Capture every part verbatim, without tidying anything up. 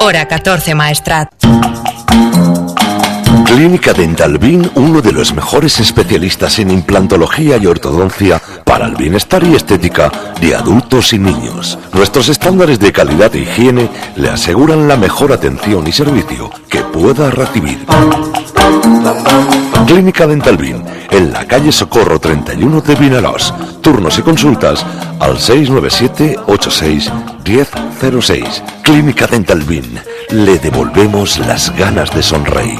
hora catorce Maestrat. Clínica Dental Bin, uno de los mejores especialistas en implantología y ortodoncia para el bienestar y estética de adultos y niños. Nuestros estándares de calidad e higiene le aseguran la mejor atención y servicio que pueda recibir. Clínica Dental Bin, en la calle Socorro treinta y uno de Vinaròs. Turnos y consultas al seis nueve siete ocho seis uno cero cero seis. Clínica Dental Bin, le devolvemos las ganas de sonreír.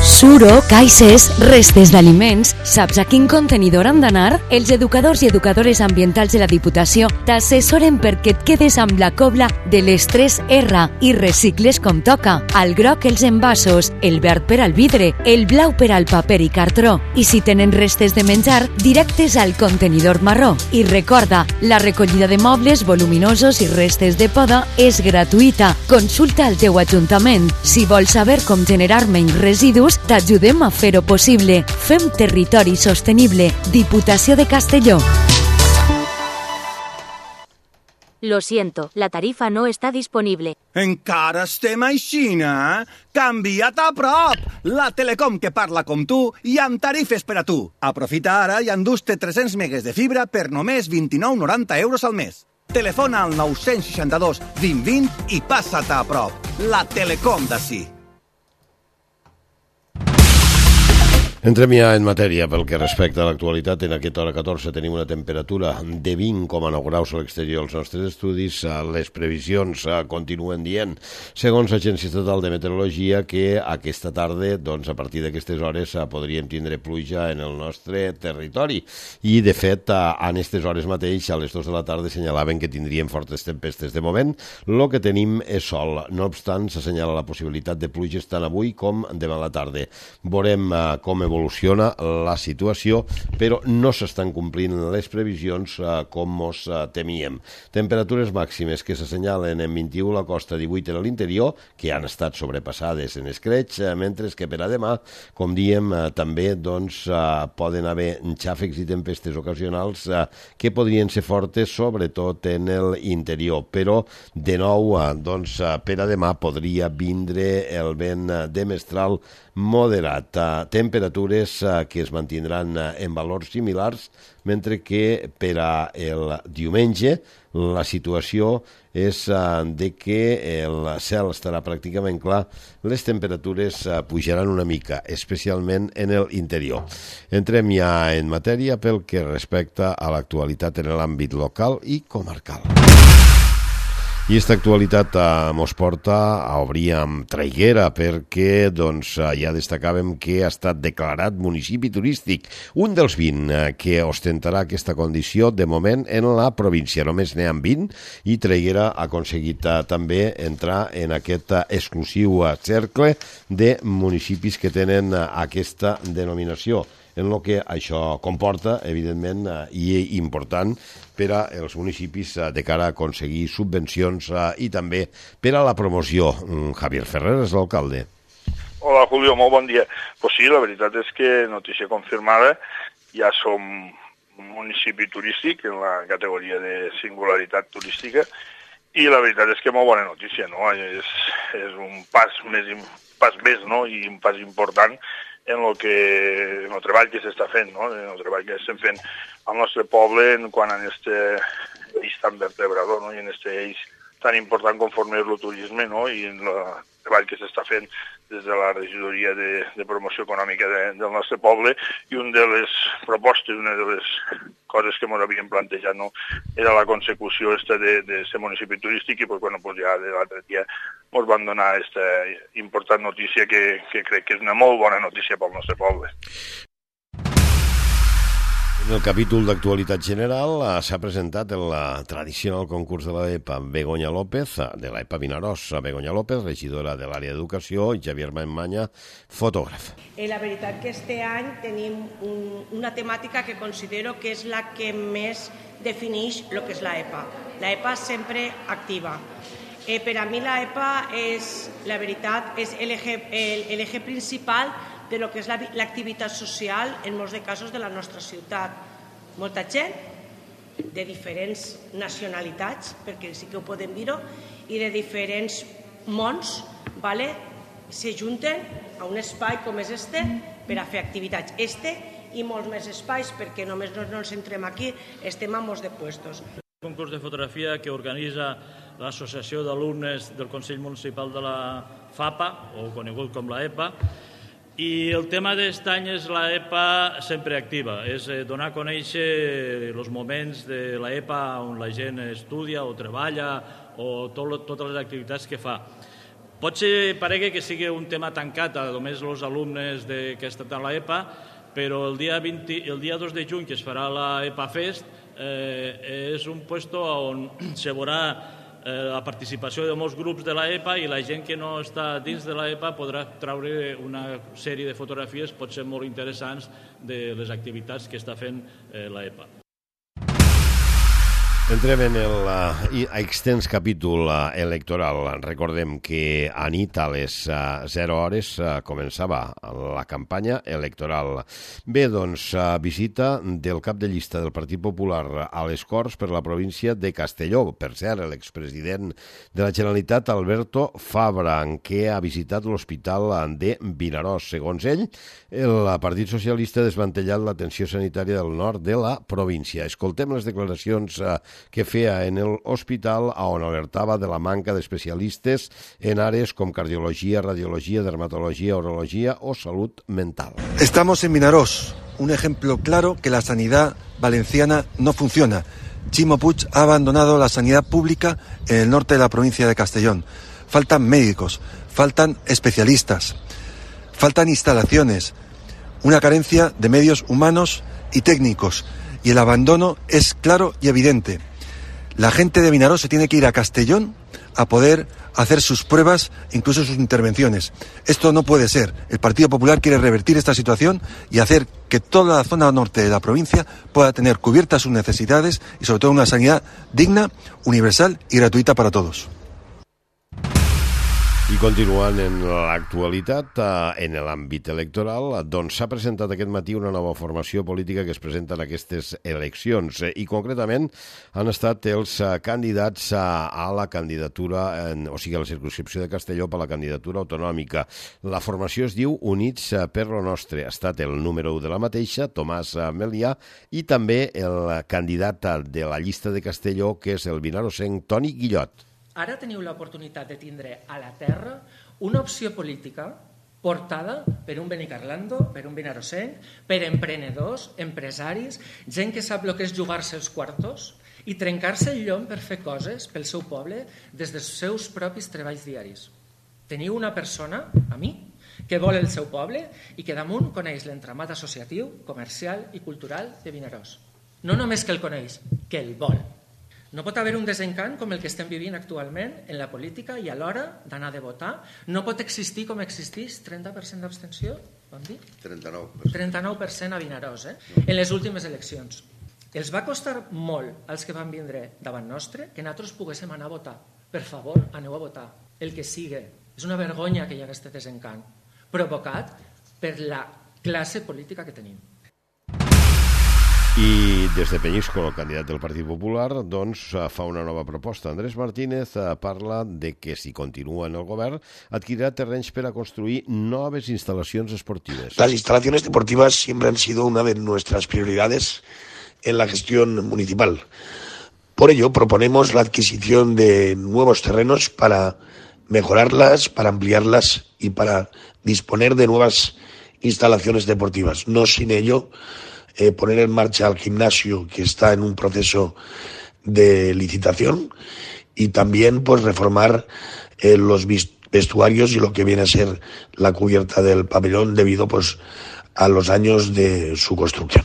Suro, caixes, restes d'aliments... Saps a quin contenidor han d'anar? Els educadors i educadores ambientals de la Diputació t'assessoren perquè et quedes amb la cobla de les tres erre i recicles com toca. Al groc els envasos, el verd per al vidre, el blau per al paper i cartró. I si tenen restes de menjar, directes al contenidor marró. I recorda, la recollida de mobles voluminosos i restes de poda és gratuïta. Consulta al teu ajuntament. Si vols saber com generar menys residus, t'ajudem a fer-ho possible. Fem territori sostenible. Diputació de Castelló. Lo siento, la tarifa no está disponible. Encara estem aixina? Canvia't a prop! La Telecom que parla com tu i amb tarifes per a tu. Aprofita ara i endús-te tres-cents megues de fibra per només vint-i-nou noranta euros al mes. Telefona al nou sis dos vint vint i passa't a prop. La Telecom d'ací. Entrem ja en matèria pel que respecta a l'actualitat. En aquesta hora catorze tenim una temperatura de vint coma nou graus a l'exterior dels nostres estudis. Les previsions continuen dient, segons l'Agència Estatal de Meteorologia, que aquesta tarda, doncs, a partir d'aquestes hores, podríem tindre pluja en el nostre territori. I, de fet, en aquestes hores mateix, a les dues de la tarda, senyalaven que tindríem fortes tempestes. De moment, el que tenim és sol. No obstant, s'assenyala la possibilitat de pluges tant avui com demà a la tarda. Veurem com evoluciona la situació, però no s'estan complint les previsions eh, com mos eh, temíem. Temperatures màximes que s'assenyalen en vint-i-u a la costa, divuit a l'interior, que han estat sobrepassades en escreix, eh, mentre que per a demà, com diem, eh, també doncs, eh, poden haver xàfecs i tempestes ocasionals eh, que podrien ser fortes, sobretot en l'interior. Però, de nou, eh, doncs, eh, per a demà podria vindre el vent de mestral moderat. Eh, temperatures que es mantindran en valors similars, mentre que per a el diumenge la situació és de que el cel estarà pràcticament clar, les temperatures pujaran una mica, especialment en l'interior. Entrem ja en matèria pel que respecta a l'actualitat en l'àmbit local i comarcal. I aquesta actualitat eh, mos porta a obrir amb Traiguera, perquè doncs, ja destacàvem que ha estat declarat municipi turístic, un dels vint eh, que ostentarà aquesta condició de moment en la província. Només n'hi ha vint i Traiguera ha aconseguit eh, també entrar en aquest eh, exclusiu eh, cercle de municipis que tenen eh, aquesta denominació, en el que això comporta, evidentment, eh, i important per als municipis de cara a aconseguir subvencions i també per a la promoció. Javier Ferrer és l'alcalde. Hola, Julio, molt bon dia. Pues sí, la veritat és que, notícia confirmada, ja som un municipi turístic en la categoria de singularitat turística i la veritat és que molt bona notícia, no? És, és un pas més, pas més, no? I un pas important en el, que, en el treball que s'està fent, no? En el treball que estem fent al nostre poble en quant a aquest eix tan vertebrador, no? I en aquest eix tan important conforme és el turisme, no? I en el treball que s'està fent des de la regidoria de, de promoció econòmica de, del nostre poble, i una de les propostes, una de les coses que ens havíem plantejat, no? Era la consecució esta de, de ser municipi turístic, i pues, bueno, pues ja de l'altre dia ens van donar aquesta important notícia que, que crec que és una molt bona notícia pel nostre poble. En el capítol d'actualitat general s'ha presentat el tradicional concurs de l'EPA Begoña López, de l'EPA Vinaròs. Begoña López, regidora de l'àrea d'educació, i Javier Maimanya, fotògraf. Eh, la veritat que este any tenim un, una temàtica que considero que és la que més defineix el que és l'EPA. L'EPA sempre activa. Eh, per a mi l'EPA és, la veritat, és l'eix principal de lo que és la, l'activitat social en molts de casos de la nostra ciutat. Molta gent de diferents nacionalitats, perquè sí que ho podem dir-ho, i de diferents mons, vale? Se junten a un espai com és este per a fer activitats. Este i molts més espais, perquè només no ens centrem aquí, estem a molts de puestos. Un concurs de fotografia que organitza l'Associació d'Alumnes del Consell Municipal de la FAPA, o conegut com la EPA, i el tema d'aquest any és la EPA sempre activa, és donar a conèixer els moments de la EPA on la gent estudia o treballa o tot, totes les activitats que fa. Pot ser, paregui que sigui un tema tancat a només els alumnes de, que estan a la EPA, però el dia, vint, el dia dos de juny, que es farà la EPA Fest, eh, és un puesto on se veurà la participació de molts grups de la EPA i la gent que no està dins de la EPA podrà treure una sèrie de fotografies, pot ser molt interessants, de les activitats que està fent la EPA. Entrem en el uh, extens capítol uh, electoral. Recordem que a nit a les uh, zero hores uh, començava la campanya electoral. Bé, doncs, uh, visita del cap de llista del Partit Popular a les Corts per la província de Castelló. Per cert, l'expresident de la Generalitat, Alberto Fabra, que ha visitat l'Hospital de Vinaròs. Segons ell, el Partit Socialista ha desmantellat l'atenció sanitària del nord de la província. Escoltem les declaracions uh, que feia en el hospital on alertava de la manca d'especialistes en àrees com cardiologia, radiologia, dermatología, urología o salud mental. Estamos en Vinaròs, un ejemplo claro que la sanidad valenciana no funciona. Chimo Puig ha abandonado la sanidad pública en el norte de la provincia de Castellón. Faltan médicos, faltan especialistas, faltan instalaciones, una carencia de medios humanos y técnicos, y el abandono es claro y evidente. La gente de Vinaròs se tiene que ir a Castellón a poder hacer sus pruebas, incluso sus intervenciones. Esto no puede ser. El Partido Popular quiere revertir esta situación y hacer que toda la zona norte de la provincia pueda tener cubiertas sus necesidades y sobre todo una sanidad digna, universal y gratuita para todos. I continuant en l'actualitat, en l'àmbit electoral, doncs s'ha presentat aquest matí una nova formació política que es presenta en aquestes eleccions i concretament han estat els candidats a la candidatura, o sigui, a la circumscripció de Castelló per a la candidatura autonòmica. La formació es diu Units per lo Nostre. Ha estat el número u de la mateixa, Tomàs Melià, i també el candidat de la llista de Castelló, que és el vinarossenc Toni Guillot. Ara teniu l'oportunitat de tindre a la terra una opció política portada per un benicarlando, per un vinarossenc, per emprenedors, empresaris, gent que sap el que és jugar-se els quartos i trencar-se el llom per fer coses pel seu poble des dels seus propis treballs diaris. Teniu una persona, a mi, que vol el seu poble i que damunt coneix l'entramat associatiu, comercial i cultural de Vinaròs. No només que el coneix, que el vol. No pot haver un desencant com el que estem vivint actualment en la política i a l'hora d'anar de votar. No pot existir com existeix trenta per cent d'abstenció, vam dir? trenta-nou per cent. trenta-nou per cent a Vinaròs, eh? En les últimes eleccions. Els va costar molt als que van vindre davant nostre que nosaltres poguéssim anar a votar. Per favor, aneu a votar. El que sigui. És una vergonya que hi hagués aquest desencant provocat per la classe política que tenim. I des de Peñíscola, el candidat del Partit Popular, doncs fa una nova proposta. Andrés Martínez parla de que si continua en el govern adquirirá terrenys per a construir noves instal·lacions esportives. Las instalaciones deportivas siempre han sido una de nuestras prioridades en la gestión municipal. Por ello, proponemos la adquisición de nuevos terrenos para mejorarlas, para ampliarlas y para disponer de nuevas instalaciones deportivas. No sin ello Eh, poner en marcha el gimnasio que está en un proceso de licitación y también pues reformar eh, los vestuarios y lo que viene a ser la cubierta del pabellón debido pues a los años de su construcción.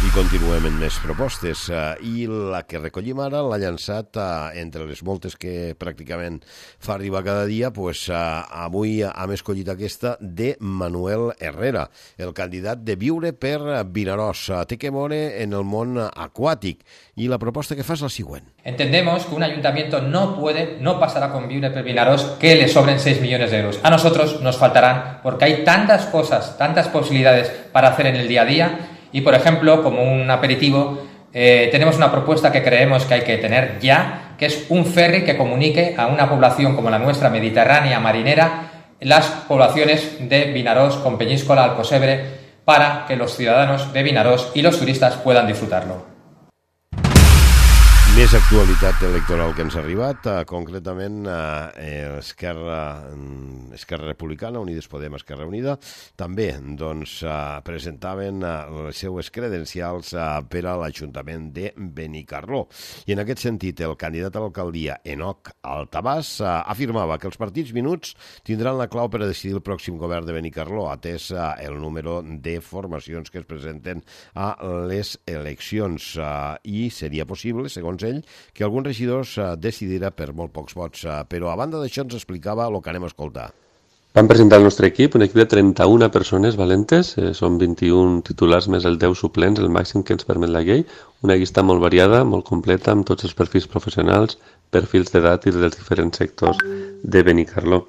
I continuem amb més propostes i la que recollim ara l'ha llançat entre les moltes que pràcticament fa arribar cada dia, pues, avui hem escollit aquesta de Manuel Herrera, el candidat de Viure per Vinaròs. Té que veure en el món aquàtic y la proposta que fa és la següent. Entendemos que un ayuntamiento no puede, no pasará con Viure per Vinaròs que le sobren seis millones de euros. A nosotros nos faltarán porque hay tantas cosas, tantas posibilidades para hacer en el día a día. Y, por ejemplo, como un aperitivo, eh, tenemos una propuesta que creemos que hay que tener ya, que es un ferry que comunique a una población como la nuestra, mediterránea, marinera, las poblaciones de Vinaròs con Peñíscola, Alcocebre, para que los ciudadanos de Vinaròs y los turistas puedan disfrutarlo. Més actualitat electoral que ens ha arribat, eh, concretament eh, Esquerra, Esquerra Republicana, Unides Podem, Esquerra Unida, també doncs, eh, presentaven eh, les seues credencials eh, per a l'Ajuntament de Benicarló. I en aquest sentit, el candidat a l'alcaldia, Enoc Altabàs, eh, afirmava que els partits minuts tindran la clau per a decidir el pròxim govern de Benicarló, atès eh, el número de formacions que es presenten a les eleccions. Eh, I seria possible, segons ell, que algun regidor uh, decidirà per molt pocs vots, uh, però a banda d'això ens explicava el que anem a escoltar. Vam presentar el nostre equip, un equip de trenta-una persones valentes, eh, són vint-i-un titulars més el deu suplents, el màxim que ens permet la llei, una llista molt variada, molt completa, amb tots els perfils professionals, perfils d'edat i dels diferents sectors de Benicarló.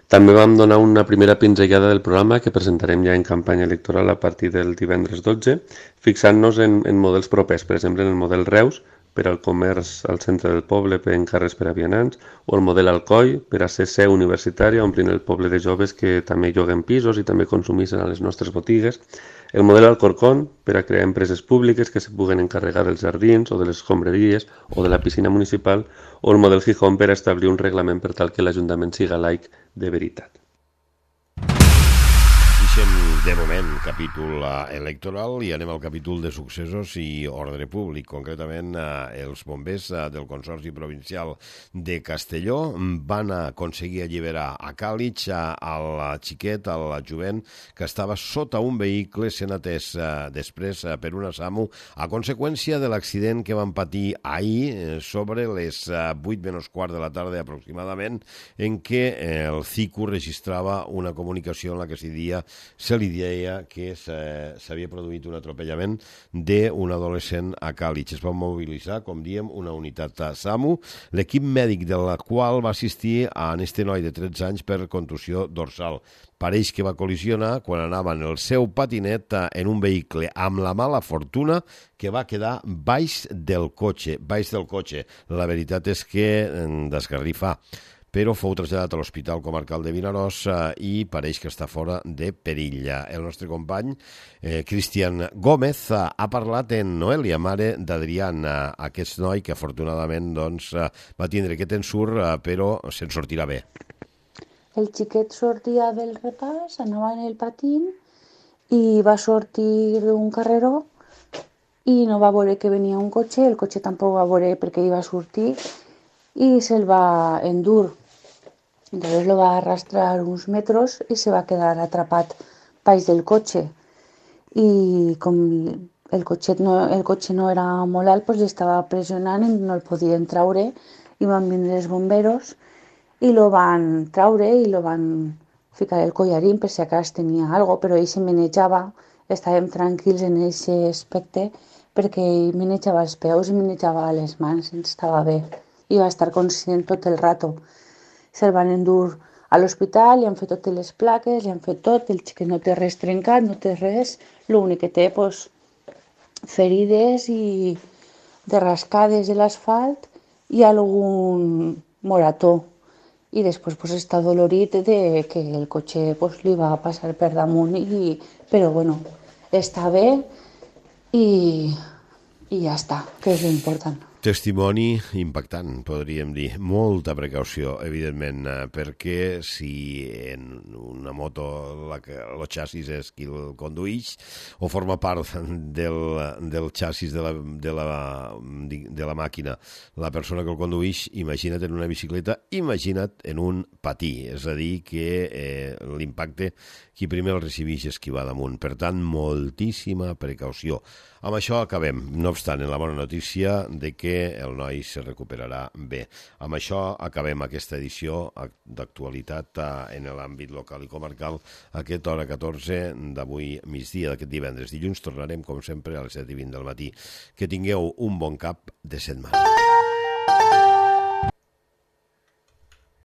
També vam donar una primera pinzellada del programa que presentarem ja en campanya electoral a partir del divendres dotze, fixant-nos en, en models propers, per exemple en el model Reus, per al comerç al centre del poble per encarres per a vianants, o el model Alcoi per a ser seu universitària omplint el poble de joves que també lloguen pisos i també consumissin a les nostres botigues, el model Alcorcón per a crear empreses públiques que se puguen encarregar dels jardins o de les escombraries o de la piscina municipal, o el model Gijón per a establir un reglament per tal que l'Ajuntament siga laic de veritat. Deixem de moment capítol electoral i anem al capítol de successos i ordre públic. Concretament, els bombers del Consorci Provincial de Castelló van aconseguir alliberar a Càlig al xiquet, al jovent, que estava sota un vehicle sent atès després per una SAMU a conseqüència de l'accident que van patir ahir sobre les vuit menys quart de la tarda aproximadament, en què el C I C U registrava una comunicació en la que s'hi dia se li deia que s'havia produït un atropellament d'un adolescent a Càlig. Es va mobilitzar, com diem, una unitat SAMU, l'equip mèdic de la qual va assistir a este noi de tretze anys per contusió dorsal. Pareix que va col·lisionar quan anava en el seu patinet en un vehicle amb la mala fortuna que va quedar baix del cotxe. Baix del cotxe. La veritat és que desgarrifa, però fou traslladat a l'Hospital Comarcal de Vinaròs eh, i pareix que està fora de perill. El nostre company, eh, Cristian Gómez, eh, ha parlat en Noelia, mare d'Adrián, eh, aquest noi que afortunadament doncs, eh, va tindre aquest ensurt, eh, però se'n sortirà bé. El xiquet sortia del repàs, anava en el patín i va sortir d'un carreró i no va veure que venia un cotxe, el cotxe tampoc va veure perquè hi va sortir i se'l va endur. Entonces lo va a arrastrar unos metros y se va a quedar atrapat baix del cotxe. I com el cotxet no, el cotxe no era molt alt, pues estava pressionant i no el podien traure. I van vindre els bomberos i lo van traure i lo van ficar el collarín per si acas tenia algo, però ell se menejava, estàvem tranquils en aquest aspecte perquè ell menejava els peus i menejava les mans, estava bé. I va estar conscient tot el rato. Se'l van endur a l'hospital, li han fet totes les plaques, li han fet tot, el xiquet no té res trencat, no té res, l'únic que té, pues, ferides i de rascades de l'asfalt i algun morató. I després pues, està dolorit de que el cotxe pues, li va passar per damunt, i, però bueno, està bé i, i ja està, que és l'important. Testimoni impactant, podríem dir. Molta precaució, evidentment, perquè si en una moto el xassis és qui el conduïx o forma part del, del xassis de la, de, la, de la màquina la persona que el conduïx, imagina't en una bicicleta, imagina't en un patí. És a dir, que eh, l'impacte qui primer el recibix és qui va damunt. Per tant, moltíssima precaució. Amb això acabem, no obstant, en la bona notícia de que el noi se recuperarà bé. Amb això acabem aquesta edició d'actualitat en l'àmbit local i comarcal, aquesta hora catorze d'avui migdia d'aquest divendres. Dilluns tornarem, com sempre, a les set i vint del matí. Que tingueu un bon cap de setmana.